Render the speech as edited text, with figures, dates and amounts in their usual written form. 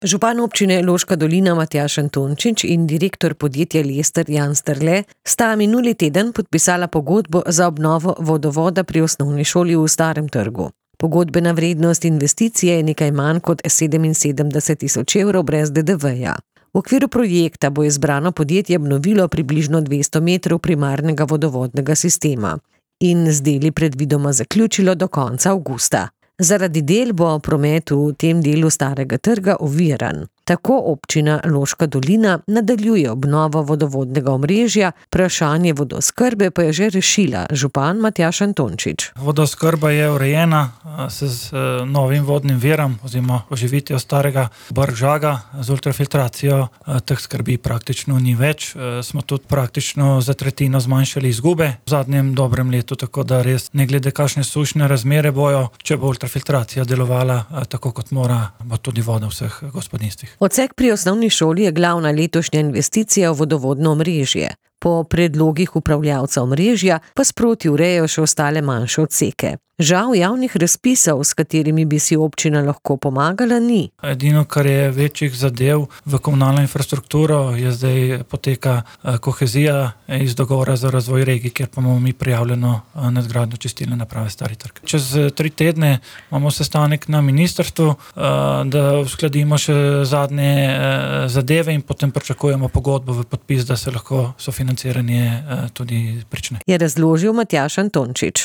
Župan občine Loška dolina Matjaž Antončič in direktor podjetja Lester Jan Sterle sta minuli teden podpisala pogodbo za obnovo vodovoda pri osnovni šoli v Starem trgu. Pogodbena vrednost investicije je nekaj manj kot 77.000 evrov brez DDV-ja. V okviru projekta bo izbrano podjetje obnovilo približno 200 metrov primarnega vodovodnega sistema in z deli predvidoma zaključilo do konca avgusta. Zaradi del bo promet v tem delu Starega trga oviran. Tako občina Loška dolina nadaljuje obnovo vodovodnega omrežja, vprašanje vodooskrbe pa je že rešila župan Matjaž Antončič. Vodooskrba je urejena z novim vodnim virom oziroma oživitvijo starega Brk-Žaga z ultrafiltracijo. Teh skrbi praktično ni več. Smo tudi praktično za tretjino zmanjšali izgube v zadnjem dobrem letu, tako da res ne glede kakšne sušne razmere bojo, če bo ultrafiltracija delovala tako kot mora, bo tudi voda v vseh gospodinjstvih. Odsek pri osnovni šoli je glavna letošnja investicija v vodovodno omrežje. Po predlogih upravljavca omrežja pa sproti urejajo še ostale manjše odseke. Žal javnih razpisov, s katerimi bi si občina lahko pomagala, ni. Edino, kar je večjih zadev v komunalno infrastrukturo, je zdaj poteka kohezija iz dogovora za razvoj regij, kjer pa imamo mi prijavljeno nadgradnjo čistilne naprave Stari trg. Čez 3 tedne imamo sestanek na ministrstvu, da uskladimo še zadnje zadeve in potem pričakujemo pogodbo v podpis, da se lahko sofinanciranje tudi prične. Je razložil Matjaž Antončič.